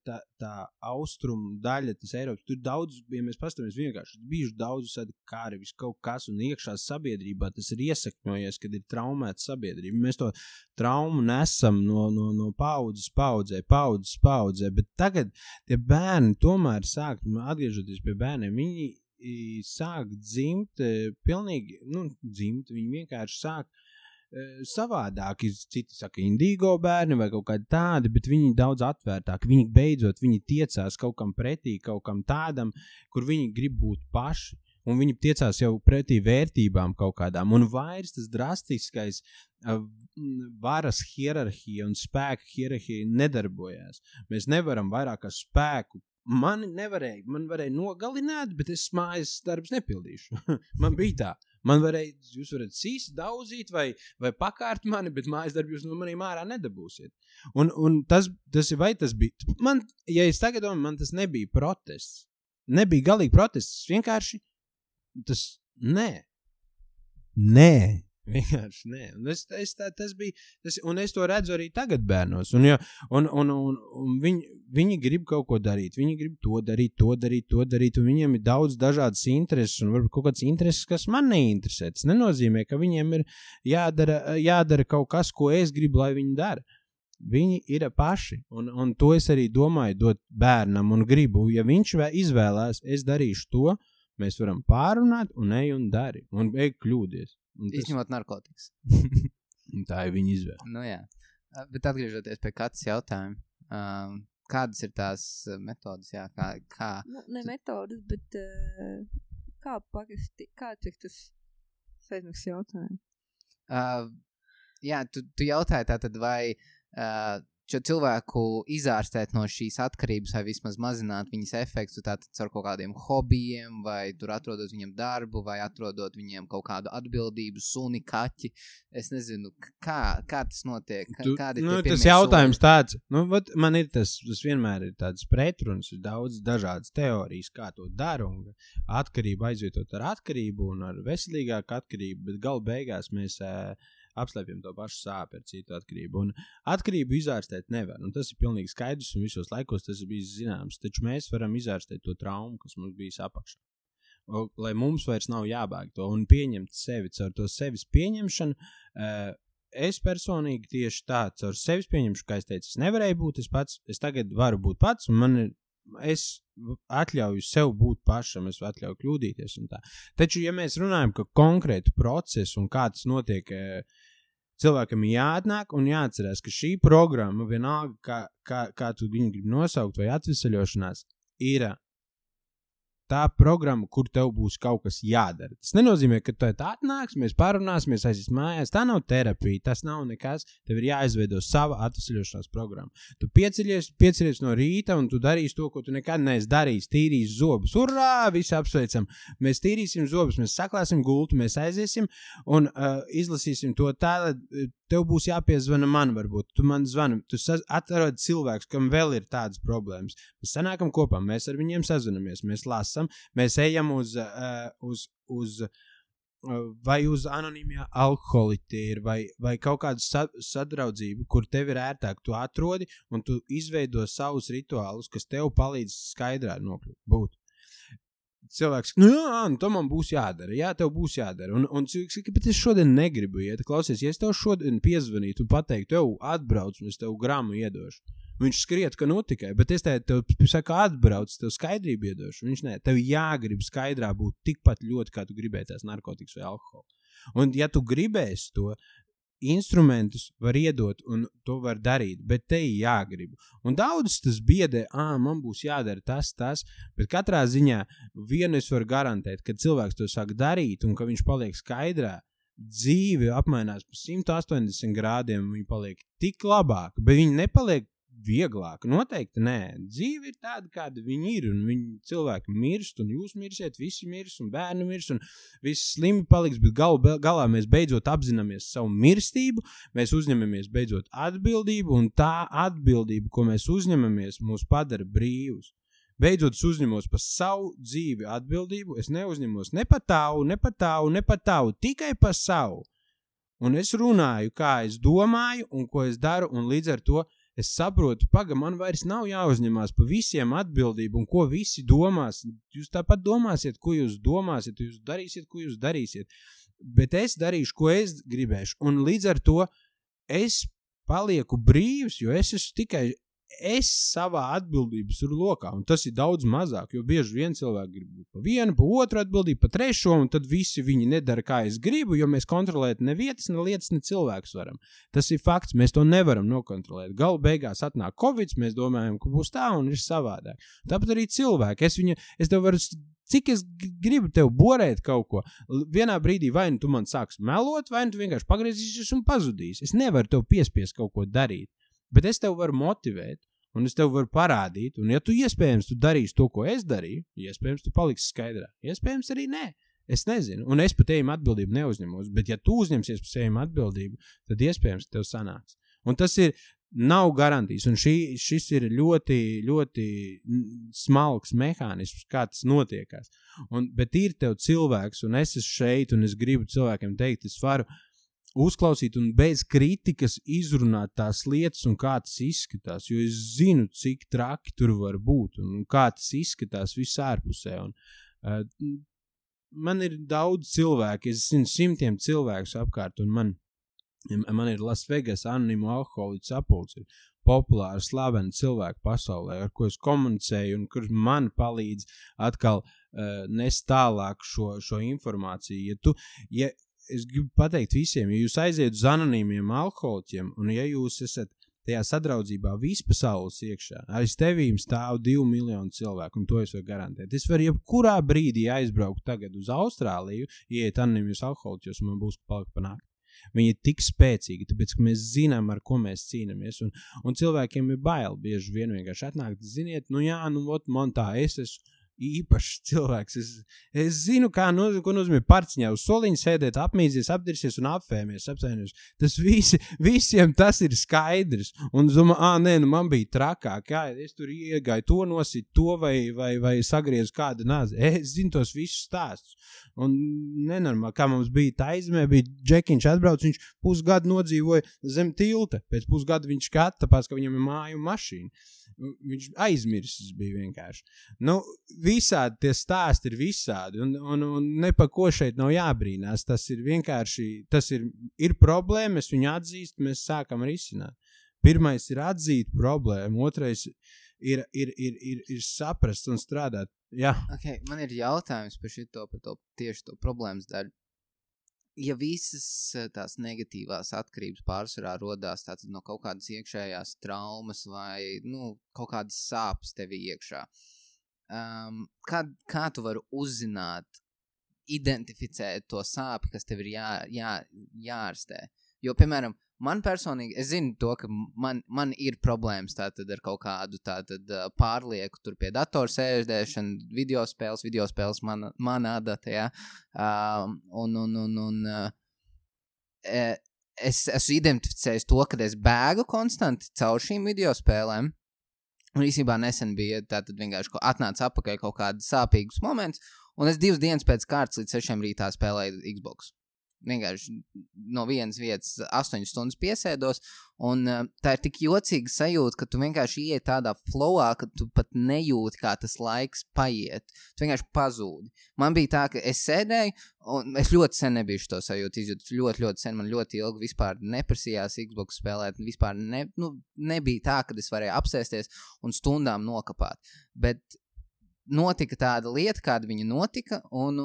[SPEAKER 2] tā austrumu daļa, tas Eiropas, tur daudz, ja mēs pastamies vienkārši, bijuši daudz kāri, kaut kas, un iekšā sabiedrībā tas ir iesakņojies, kad ir traumēta sabiedrība. Mēs to traumu nesam no paudzes paudzē, bet tagad tie bērni tomēr sāk, atgriežoties pie bērniem, viņi sāk dzimt, pilnīgi, viņi vienkārši sāk savādāk, citi saka indīgo bērni vai kaut kādi tādi, bet viņi daudz atvērtāk, viņi tiecās kaut kam pretī, kaut kam tādam, kur viņi grib būt paši, un viņi tiecās jau pretī vērtībām kaut kādām, un vairs tas drastiskais varas hierarhija un spēka hierarhija nedarbojās. Mēs nevaram vairāk ar spēku. Man varēja nogalināt, bet es mājas darbs nepildīšu. Man bija tā. Jūs varat sīst, daudzīt vai pakārt mani, bet mājas darbu jūs no maniem ārā nedabūsiet. Un tas bija, ja es tagad domāju, man tas nebija protests. Nebija galīgi protests, vienkārši nē. Vienkārši nē. Un es to redzu arī tagad bērnos. Un viņi grib kaut ko darīt. Viņi grib to darīt. Un viņiem ir daudz dažādas intereses un varbūt kaut kāds intereses, kas man neinteresē. Tas nenozīmē, ka viņiem ir jādara kaut kas, ko es gribu, lai viņi dara. Viņi ir paši. Un to es arī domāju dot bērnam un gribu. Ja viņš izvēlās, es darīšu to, mēs varam pārunāt un ej un dari. Un ej kļūdies.
[SPEAKER 1] Izņemot narkotikas.
[SPEAKER 2] Tā ir viņa izvēle.
[SPEAKER 1] Nu jā. Bet atgriežoties pie katras jautājuma, kādas ir tās metodas? Jā, kā?
[SPEAKER 3] Ne metodas, bet kāds ir tas aizmaks jautājums?
[SPEAKER 1] Jā, tu jautāji tātad, vai šo cilvēku izārstēt no šīs atkarības vai vismaz mazināt viņas efektu tātad ar kaut kādiem hobijiem vai tur atrodot viņam darbu vai atrodot viņiem kaut kādu atbildību, suni, kaķi. Es nezinu, kā tas notiek. Kādi ir tie pirmie
[SPEAKER 2] tas jautājums tāds, man ir tas vienmēr ir tāds pretruns, ir daudz dažādas teorijas, kā to dara un atkarību aizvietot ar atkarību un ar veselīgāku atkarību, bet galu beigās mēs apslēpjam to pašu sāpi ar citu atkarību. Un atkarību izārstēt nevar. Un tas ir pilnīgi skaidrs un visos laikos tas ir bijis zināms. Taču mēs varam izārstēt to traumu, kas mums bijis apakšā. Lai mums vairs nav jābēg to un pieņemt sevi. Caur to sevis pieņemšanu, es personīgi tieši tā, caur sevis pieņemšanu, kā es teicu, es nevarēju būt es tagad varu būt pats un es atļauju sev būt pašam, es atļauju kļūdīties un tā. Taču, ja mēs runājam par konkrētu procesu un kā tas notiek, cilvēkam jāatnāk un jāatcerās, ka šī programma, vienalga, kā tu viņu grib nosaukt vai atvesaļošanās, ir tā programma, kur tev būs kaut kas jādara. Tas nenozīmē, ka tu atnāks, mēs parunāsimies, aizies mājās. Tā nav terapija, tas nav nekas. Tev ir jāizveido sava atvesaļošanās programma. Tu piecelies no rīta un tu darīsi to, ko tu nekad neesi darījis. Tīrīs zobus. Urā! Visi apsveicam. Mēs tīrīsim zobus, mēs saklāsim gultu, mēs aiziesim un izlasīsim to tā, tev būs jāpiezvana man varbūt. Tu man zvani, tu atrodi cilvēks, kam vēl ir tādas problēmas. Mēs sanākam kopā, mēs ar viņiem sazvanamies, mēs lasam, mēs ejam vai uz anonīmie alkoholiķi vai kaut kādu sadraudzību, kur tev ir ērtāk, tu atrodi un tu izveido savus rituālus, kas tev palīdz skaidrā būt. Cilvēks, to man būs jādara, jā, tev būs jādara. Un cilvēks, bet es šodien negribu iet. Klausies, ja es tev šodien piezvanītu un pateiktu, tev atbrauc un es tev gramu iedošu. Viņš skriet, ka tikai, bet es tev saku atbrauc, tev skaidrību iedošu. Viņš ne, tev jāgrib skaidrā būt tikpat ļoti, kā tu gribēji tās narkotikas vai alkoholu. Un ja tu gribēsi to, instrumentus var iedot un to var darīt, bet te ir jāgrib. Un daudz tas biedē, man būs jādara tas, bet katrā ziņā vienu es varu garantēt, ka cilvēks to sāk darīt un ka viņš paliek skaidrā, dzīve apmainās pa 180 grādiem un viņi paliek tik labāk, bet viņi nepaliek vieglāk. Noteikti nē. Dzīve ir tāda, kāda viņi ir, un viņi cilvēki mirst, un jūs mirsiet, visi mirs, un bērni mirs, un viss slimi paliks, bet galā mēs beidzot apzināmies savu mirstību, mēs uzņemamies beidzot atbildību, un tā atbildība, ko mēs uzņemamies, mūs padara brīvus. Beidzot, es uzņemos par savu dzīvi atbildību, es neuzņemos ne par tavu, tikai par savu. Un es runāju, kā es domāju, un ko es daru, un līdz ar to es saprotu, man vairs nav jāuzņemās par visiem atbildību, un ko visi domās. Jūs tāpat domāsiet, ko jūs domāsiet, jūs darīsiet, ko jūs darīsiet. Bet es darīšu, ko es gribēšu. Un līdz ar to es palieku brīvs, jo es esmu tikai savā atbildības lokā. Un tas ir daudz mazāk, jo bieži vien cilvēki grib būt pa vienu, pa otru atbildību, pa trešo, un tad visi viņi nedara, kā es gribu, jo mēs kontrolēt ne vietas, ne lietas, ne cilvēkus varam. Tas ir fakts, mēs to nevaram nokontrolēt. Galu beigās atnāk Covid, mēs domājam, ka būs tā un ir savādāk. Tāpat arī cilvēki. Es tev varu, cik es gribu tev borēt kaut ko. Vienā brīdī vai nu tu man sāks melot, vai nu tu vienkārši pagriezīsies un pazudīs. Es nevaru tev piespiest kaut ko darīt. Bet es tev varu motivēt, un es tev varu parādīt, un ja tu iespējams tu darīsi to, ko es darīju, iespējams tu paliksi skaidrā, iespējams arī nē, es nezinu, un es par tevim atbildību neuzņemos, bet ja tu uzņemsies par tevim atbildību, tad iespējams tev sanāks. Un tas nav garantijas, un šis ir ļoti, ļoti smalks mehānisms, kā tas notiekās. Bet ir tev cilvēks, un es esmu šeit, un es gribu cilvēkiem teikt, es varu uzklausīt un bez kritikas izrunāt tās lietas un kā tas izskatās, jo es zinu, cik traki tur var būt un kā tas izskatās visārpusē. Man ir daudz cilvēku, es zinu simtiem cilvēkus apkārt, un man ir Las Vegas anonīmu alkoholiķu sapulce, populāri slaveni cilvēki pasaulē, ar ko es komunicēju un kurš man palīdz atkal nest tālāk šo informāciju. Es gribu pateikt visiem, ja jūs aiziet uz anonīmiem alkoholiķiem un ja jūs esat tajā sadraudzībā vispasaules iekšā, aiz tevīm stāv 2 miljoni cilvēku, un to es varu garantēt. Es varu jebkurā brīdī aizbraukt tagad uz Austrāliju, ieiet anonīmos alkoholiķos, un man būs palikt pa nakti. Viņi ir tik spēcīgi, tāpēc, ka mēs zinām, ar ko mēs cīnamies. Un cilvēkiem ir bail bieži vien vienkārši atnākt, ziniet, man tā, es esmu īpašs cilvēks. Es zinu, ko nozīmē parciņā uz soliņa sēdēt, apmīdzies, apdirsies un apfēmies, apsainies. Tas visiem tas ir skaidrs. Un domā, man bija trakāk, es tur iegāju to nosit, to vai sagriezu kādu nāzi. Es zinu tos visus stāstus. Un nenormāli, kā mums bija Taizemē, bija Džekiņš atbrauc, viņš pusgadu nodzīvoja zem tilta. Pēc pusgada viņš skat, tāpēc, ka viņam ir māju un mašīna. Viņš aizmirsis bija vienkārši. Visādi tie stāsti ir visādi, un ne pa ko šeit nav jābrīnās. Tas ir vienkārši, ir problēma, mēs viņu atzīst, mēs sākam risināt. Pirmais ir atzīt problēmu, otrais ir saprast un strādāt. Jā.
[SPEAKER 1] Okay, man ir jautājums par tieši to problēmas daļu. Ja visas tās negatīvās atkarības pārsvarā rodās tātad no kaut kādas iekšējās traumas vai kaut kādas sāpes tevi iekšā, kā tu vari uzzināt, identificēt to sāpi, kas tev ir jārastē? Jo, piemēram, man personīgi, es zinu to, ka man ir problēmas tātad ar kaut kādu pārlieku tur pie datora sēždēšanu, video spēles man adata, jā. Es esmu identificējis to, ka es bēgu konstanti caur šīm video spēlēm. Un īsībā nesen bija tātad vienkārši atnāca apakaļ kaut kāds sāpīgs moments, un es 2 dienas pēc kārtas līdz 6 rītā spēlēju Xbox. Vienkārši no vienas vietas 8 stundas piesēdos, un tā ir tik jocīga sajūta, ka tu vienkārši iej tādā flowā, ka tu pat nejūti, kā tas laiks paiet. Tu vienkārši pazūdi. Man bija tā, ka es sēdēju, un es ļoti sen nebiju šo sajūtu izjūtu. Ļoti sen, man ļoti ilgi vispār neprasījās Xbox spēlēt, vispār nebija tā, kad es varēju apsēsties un stundām nokapāt. Bet notika tāda lieta, kāda viņa notika, un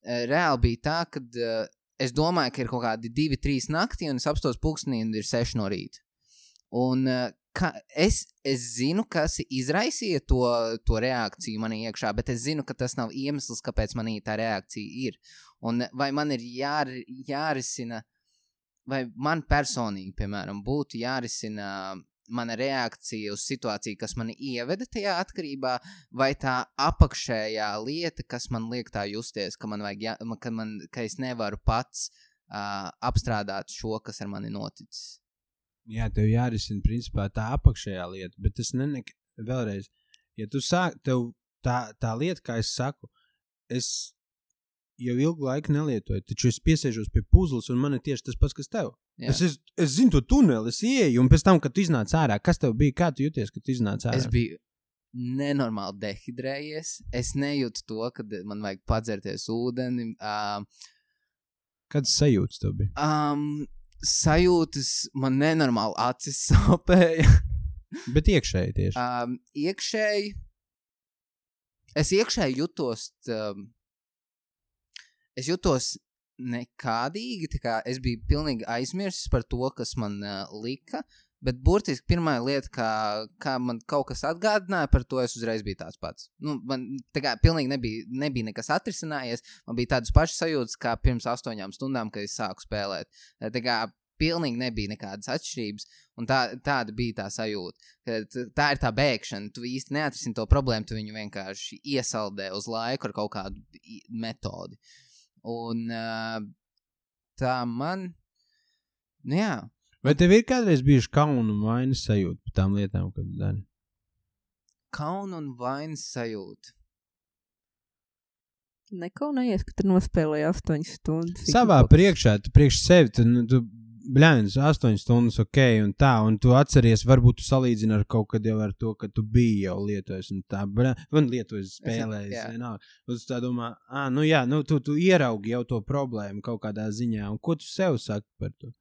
[SPEAKER 1] reāli bija tā, kad es domāju, ka ir kaut kādi 2-3 naktī, un es apstos pulkstenī, un ir 6 no rīta. Un es zinu, kas izraisīja to reakciju manī iekšā, bet es zinu, ka tas nav iemesls, kāpēc manī tā reakcija ir. Un vai man ir jārisina, vai man personīgi, piemēram, būtu jārisina mana reakcija uz situāciju, kas mani ieveda tajā atkarībā, vai tā apakšējā lieta, kas man liek tā justies, ka es nevaru pats apstrādāt šo, kas ar mani noticis.
[SPEAKER 2] Jā, tev jārisina principā tā apakšējā lieta, bet tas vēlreiz, ja tu tev tā lieta, kā es saku, es jau ilgu laiku nelietoju, taču es piesēžos pie puzles, un man ir tieši tas pats, kas tev. Es zinu to tuneli, es ieeju, un pēc tam, kad tu iznāc ārā, kas tev bija, kā tu jūties, kad tu iznāc ārā?
[SPEAKER 1] Es biju nenormāli dehidrējies, es nejūtu to, kad man vajag padzerties ūdeni.
[SPEAKER 2] Kādas sajūtas tev bija?
[SPEAKER 1] Sajūtas man nenormāli acis sāpēja.
[SPEAKER 2] Bet iekšēji tieši?
[SPEAKER 1] Iekšēji. Es iekšēji jutos... Es jutos nekādīgi, tā kā es biju pilnīgi aizmirsis par to, kas man lika, bet burtiski pirmā lieta, kā man kaut kas atgādināja par to, es uzreiz biju tāds pats. Man tā kā pilnīgi nebija nekas atrisinājies, man bija tādas pašas sajūtas kā pirms 8 stundām, kad es sāku spēlēt. Tā kā pilnīgi nebija nekādas atšķirības, un tāda bija tā sajūta. Tā ir tā bēgšana, tu īsti neatrisini to problēmu, tu viņu vienkārši iesaldē uz laiku ar kaut kādu metodi. Un tā man, jā.
[SPEAKER 2] Vai tev ir kādreiz bijuši kauna un vainas sajūta par tām lietām, kad tu dari?
[SPEAKER 3] Kauna un vainas sajūta. Nekaunējies, ka tu nospēlēji 8 stundas.
[SPEAKER 2] Savā priekšā, tu priekš sevi, tu bļāņas 8 stundas, ok, un tā, un tu atceries, varbūt tu salīdzini ar kaut kad jau ar to, ka tu biji jau lietojis, un tā, un lietojis spēlējis, un tu tā domā, tu ieraugi jau to problēmu kaut kādā ziņā, un ko tu sev saki par to?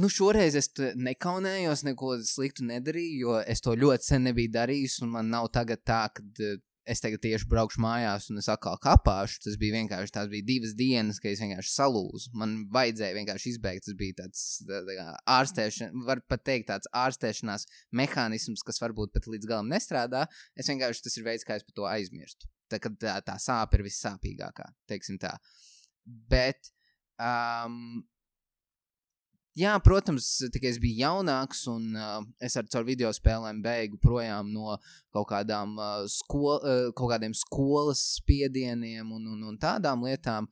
[SPEAKER 1] Šoreiz es nekaunējos, neko sliktu nedarīju, jo es to ļoti sen nebiju darījis, un man nav tagad tā, kad es tagad tieši braukšu mājās un es atkal kapāšu. Tas bija vienkārši, tās bija 2 dienas, ka es vienkārši salūzu. Man vajadzēja vienkārši izbeigt. Tas bija tāds ārstēšana, var pat teikt tāds ārstēšanās mehānisms, kas varbūt pat līdz galam nestrādā. Es vienkārši, tas ir veids, kā es par to aizmirstu. Tā sāpe ir vissāpīgākā, teiksim tā. bet, jā, protams, tikai es biju jaunāks un es caur video spēlēm beigu projām no kaut kādiem skolas spiedieniem un tādām lietām.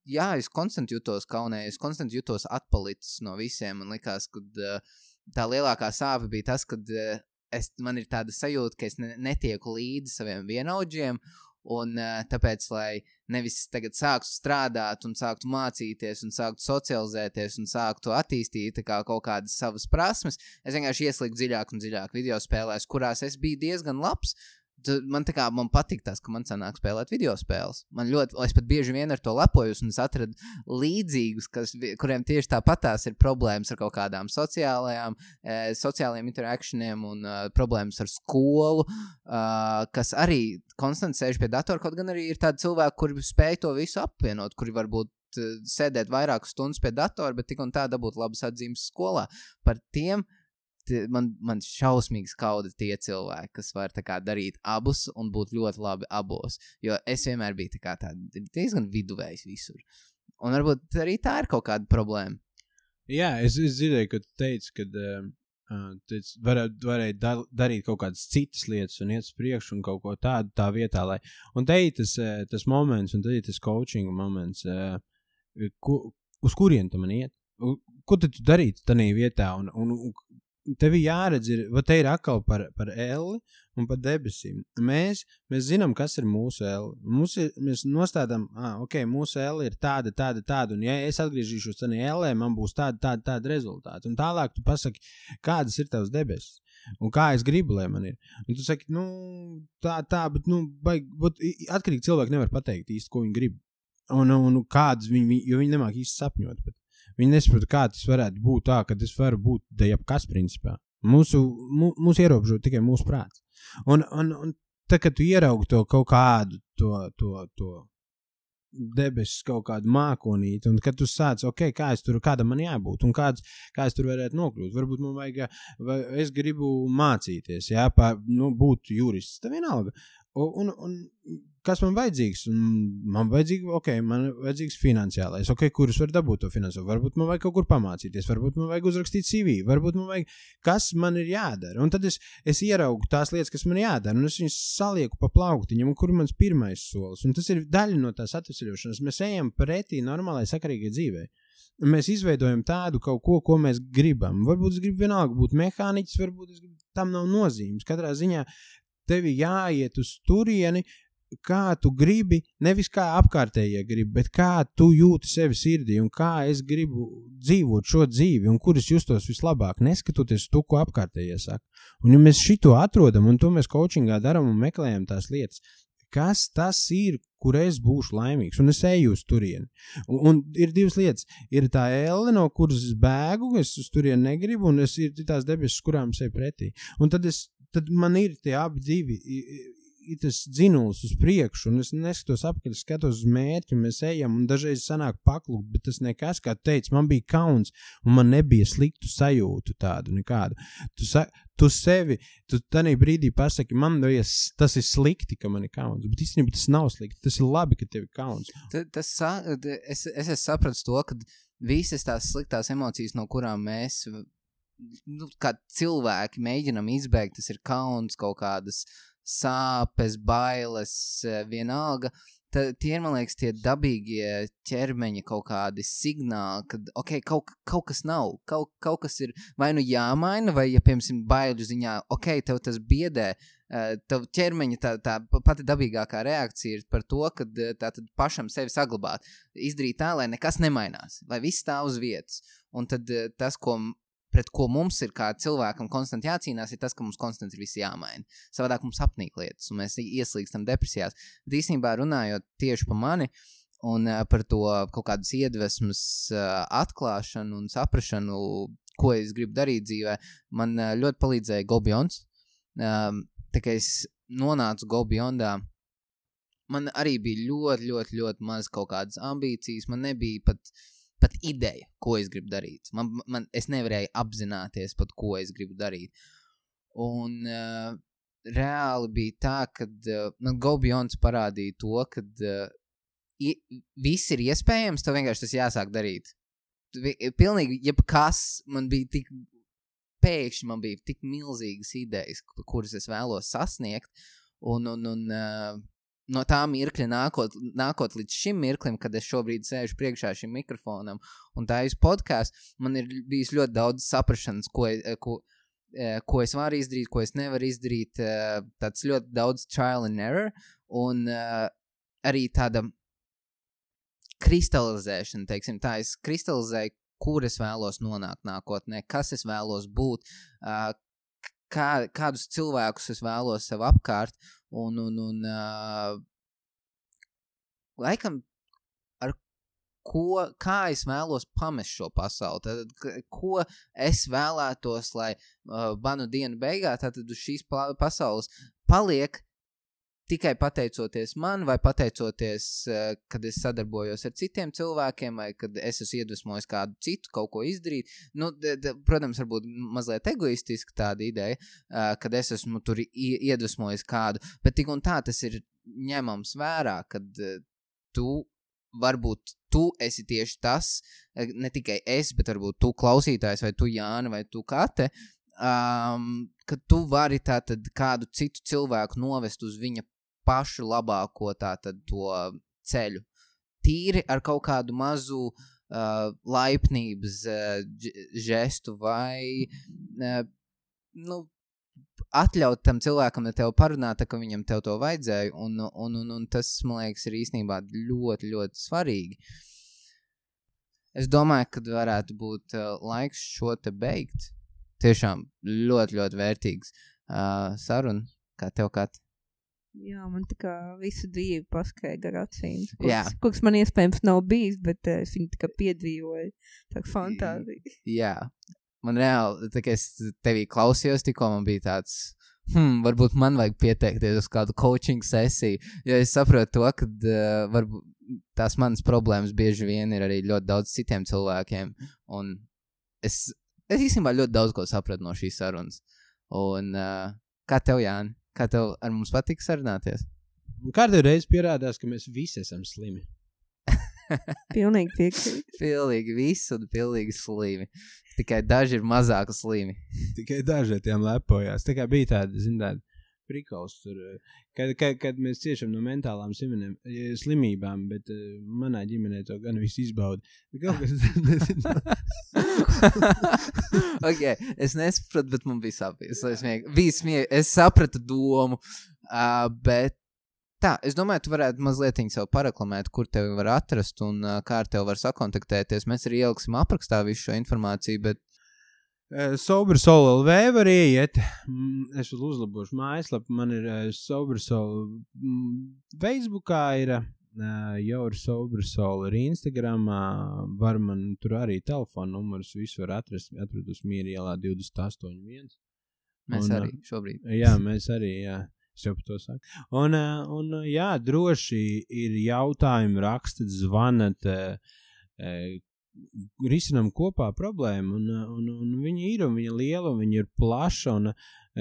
[SPEAKER 1] Jā, es konstanti jutos kaunē, es konstanti jutos atpalicis no visiem. Man likās, ka tā lielākā sāpe bija tas, ka man ir tāda sajūta, ka es netieku līdzi saviem vienaudžiem. Un tāpēc, lai nevis tagad sāktu strādāt un sāktu mācīties un sāktu socializēties un sāktu attīstīt kaut kādas savas prasmes, es vienkārši ieslīgu dziļāk un dziļāk video spēlēs, kurās es biju diezgan labs. Man patīk tas, ka man sanāk spēlēt video spēles. Es pat bieži vien ar to lepojos un es atradu līdzīgus, kuriem tieši tāpatās ir problēmas ar kaut kādām sociālajiem interaktioniem un problēmas ar skolu, kas arī konstanti sēž pie datora, kaut gan arī ir tādi cilvēki, kuri spēj to visu apvienot, kuri varbūt sēdēt vairākas stundas pie datora, bet tik un tā dabūt labas atzīmes skolā. Par tiem man šausmīgi skauda tie cilvēki, kas var darīt abus un būt ļoti labi abos, jo es vienmēr biju diezgan viduvējs visur. Un varbūt arī tā ir kaut kāda problēma.
[SPEAKER 2] Jā, es dzirdēju, ka tu teici, ka varēja darīt kaut kādas citas lietas un iet uz priekšu un kaut ko tādu tā vietā, lai... Un te ir tas moments, un te ir tas coaching moments, uz kurien tu man iet? Ko tu darīt tanī vietā? Un tev jāredz, te ir atkal par elli un par debesīm. Mēs zinām, kas ir mūsu elli. Mēs nostādām, mūsu elli ir tāda, un ja es atgriežīšos tanī ellē, man būs tāda rezultāti. Un tālāk tu pasaki, kādas ir tavs debesis. Un kā es gribu, lai man ir. Un tu saki, bet, atkarīgi cilvēki nevar pateikt īsti, ko viņi grib. Un kādas jo viņi nemāk īsti sapņot, bet viņi nesaprot, kā tas varētu būt tā, ka tas var būt jebkas principā. Mūsu ierobežo tikai mūsu prāts. Un tā, kad tu ieraugi to kaut kādu to debesis kaut kādu mākonīti, un kad tu sāc, kādam man jābūt, un kā es tur varētu nokļūt. Varbūt man es gribu mācīties, būt jurists, tā vienalga. Un kas man vajadzīgs? Man vajadzīgs finansiālais. Kurus var dabūt to finansiālo? Varbūt man vajag kaut kur pamācīties, varbūt man vajag uzrakstīt CV, varbūt man vajag, kas man ir jādara. Un tad es ieraugu tās lietas, kas man jādara, un es viņus salieku pa plauktiņam, un kur ir mans pirmais solis. Un tas ir daļa no tās atvesaļošanas. Mēs ejam pretī normālai sakarīgai dzīvei. Mēs izveidojam tādu kaut ko mēs gribam. Varbūt es gribu vienalga būt mehāniķis, varbūt tam nav nozīmes. Katrā ziņā tevi jāiet uz turieni, kā tu gribi, nevis kā apkārtējie gribi, bet kā tu jūti sevi sirdī un kā es gribu dzīvot šo dzīvi un kur es justos vislabāk, neskatoties to, ko apkārtējie saka. Un ja mēs šito atrodam un to mēs coachingā daram un meklējam tās lietas, kas tas ir, kur es būšu laimīgs, un es eju uz turieni. Un ir divas lietas. Ir tā elle, no kuras es bēgu, es uz turieni negribu, un ir tās debesis, kurām es eju pretī. Un tad man ir tie abi divi, ir tas dzinuls uz priekšu, un es neskatos apkārt, skatos uz mērķi, un mēs ejam, un dažreiz sanāk paklūt, bet tas nekas, kā tu teici, man bija kauns, un man nebija sliktu sajūtu tādu nekādu. Tu tanī brīdī pasaki, tas ir slikti, ka man ir kauns, bet īstenībā tas nav slikti, tas ir labi, ka tev ir kauns.
[SPEAKER 1] Es sapratu to, ka visas tās sliktās emocijas, no kurām mēs, kā cilvēki mēģinam izbēgt, tas ir kauns, kaut kādas sāpes, bailes, vienalga. Tie ir, man liekas, tie dabīgie ķermeņa kaut kādi signāli, kad, kaut kas nav, kaut kas ir vai nu jāmaina, vai, ja, piemēram, baiļu ziņā, tev tas biedē, tev ķermeņa tā pati dabīgākā reakcija ir par to, ka tātad pašam sevi saglabāt, izdarīt tā, lai nekas nemainās, lai viss stāv uz vietas. Un tad tas, pret ko mums ir kā cilvēkam konstanti jācīnās, ir tas, ka mums konstanti ir visi jāmaina. Savādāk mums apnīk lietas, un mēs ieslīgstam depresijās. Bet īstenībā runājot tieši par mani un par to kaut kādas iedvesmas atklāšanu un saprašanu, ko es gribu darīt dzīvē, man ļoti palīdzēja Go Beyond. Tā kā es nonācu Go Beyondā, man arī bija ļoti, ļoti, ļoti maz kaut kādas ambīcijas, man nebija pat ideja, ko es gribu darīt. Es nevarēju apzināties pat, ko es gribu darīt. Un reāli bija tā, kad Go Beyond parādīja to, kad viss ir iespējams, tev vienkārši tas jāsāk darīt. Pilnīgi jebkas man bija tik, pēkšņi man bija tik milzīgas idejas, kuras es vēlos sasniegt, un no tā mirkļa nākot līdz šim mirklim, kad es šobrīd sēžu priekšā šim mikrofonam un tā podcastu, man ir bijis ļoti daudz saprašanas, ko es varu izdarīt, ko es nevaru izdarīt, tāds ļoti daudz trial and error, un arī tāda kristalizēšana, teiksim tā, es kristalizēju, kur es vēlos nonākt nākotnē, kas es vēlos būt, kādus cilvēkus es vēlos sev apkārt, un laikam kā es vēlos pamest šo pasauli, tad, ko es vēlētos, lai manu dienu beigā, tātad uz šīs pasaules paliek tikai pateicoties man, vai pateicoties, kad es sadarbojos ar citiem cilvēkiem, vai kad es esmu iedvesmojis kādu citu kaut ko izdarīt. Nu, protams, varbūt mazliet egoistiski tāda ideja, kad es esmu tur iedvesmojis kādu, bet tik un tā tas ir ņemams vērā, kad varbūt tu esi tieši tas, ne tikai es, bet varbūt tu klausītājs, vai tu Jāna, vai tu Kate, ka tu vari tātad kādu citu cilvēku novest uz viņa pašu labāko tātad to ceļu. Tīri ar kaut kādu mazu laipnības žestu vai atļaut tam cilvēkam ar tevi parunāt, ka viņam tev to vajadzēja, un tas, man liekas, ir īstenībā ļoti, ļoti svarīgi. Es domāju, ka varētu būt laiks šo te beigt. Tiešām ļoti, ļoti vērtīgs saruna, kā tev, Kat.
[SPEAKER 3] Jā, man tā kā visu dzīvi paskaidra gar acīm.
[SPEAKER 1] Jā.
[SPEAKER 3] Kurš man iespējams nav bijis, bet es viņu tā kā piedzīvoju. Tā kā fantāzija.
[SPEAKER 1] Jā. Man reāli, tā kā es tevī klausījos, tikko man bija tāds, varbūt man vajag pieteikties uz kādu coaching sesiju, jo es saprotu to, ka varbūt tās manas problēmas bieži vien ir arī ļoti daudz citiem cilvēkiem, un es īstenībā ļoti daudz ko sapratu no šīs sarunas. Un kā tev, Jāni? Kā tev ar mums patīk sarunāties?
[SPEAKER 2] Kādreiz reiz pierādās, ka mēs visi esam slimi.
[SPEAKER 3] Pilnīgi piekrīt.
[SPEAKER 2] Pilnīgi
[SPEAKER 1] visi un pilnīgi slimi. Tikai daži ir mazāk slimi.
[SPEAKER 2] Tikai daži tiem lepojās. Tā kā bija tāda, prikals tur, kad mēs ciešam no mentālām slimībām, bet manā ģimenē to gan viss izbauda. Kaut kas
[SPEAKER 1] Okay, es nesapratu, bet man bija sāpīgs. Es sapratu domu, bet tā, es domāju, tu varētu mazliet sev pareklamēt, kur tevi var atrast un kā ar tevi var sakontaktēties. Mēs arī ieliksim aprakstā visu šo informāciju, bet
[SPEAKER 2] Sober Soul LV var ieiet. Es vēl uzlabošu mājaslapu. Man ir Sober Soul Facebookā ir jau ir Sober Soul ir Instagramā. Var man tur arī telefonu numurus visu var atrast uz Mīra ielā 281.
[SPEAKER 1] Mēs arī šobrīd.
[SPEAKER 2] Jā, mēs arī, jā. Es jau par to saku. Un jā, droši ir jautājumi, rakstat, zvanat, risinām kopā problēmu, un viņa ir, un viņa liela, un viņa ir plaša, un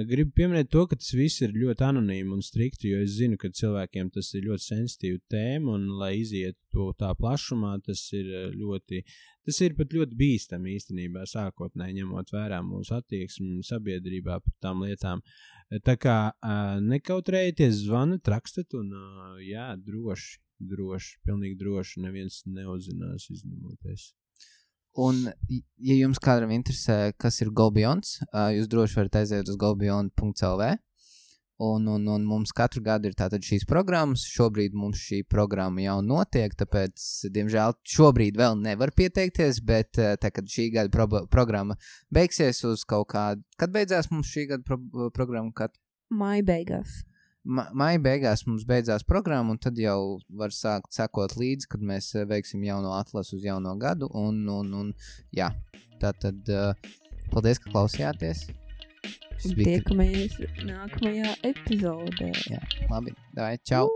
[SPEAKER 2] gribu pieminēt to, ka tas viss ir ļoti anonīmi un strikti, jo es zinu, ka cilvēkiem tas ir ļoti sensitīva tēma, un lai iziet to tā plašumā, tas ir pat ļoti bīstami īstenībā, sākotnēji ņemot vērā mūsu attieksmi sabiedrībā par tām lietām. Tā kā nekautrējieties, zvanat, rakstat, un jā, droši, pilnīgi droši, neviens neuzzinās izņemoties.
[SPEAKER 1] Un, ja jums kādam interesē, kas ir GoBeyond, jūs droši varat aiziet uz gobeyond.lv, un mums katru gadu ir tātad šīs programmas. Šobrīd mums šī programma jau notiek, tāpēc, diemžēl, šobrīd vēl nevar pieteikties, bet tā, kad šī gada programma beigsies uz kaut kādu, kad beidzās mums šī gada programma?
[SPEAKER 3] Maija beigās.
[SPEAKER 1] Maija beigās mums beidzās programma, un tad jau var sākt sekot līdzi, kad mēs veiksim jauno atlasu uz jauno gadu, un jā, tātad paldies, ka klausījāties.
[SPEAKER 3] Tiekamies nākamajā epizodē.
[SPEAKER 1] Jā, labi, davai, čau!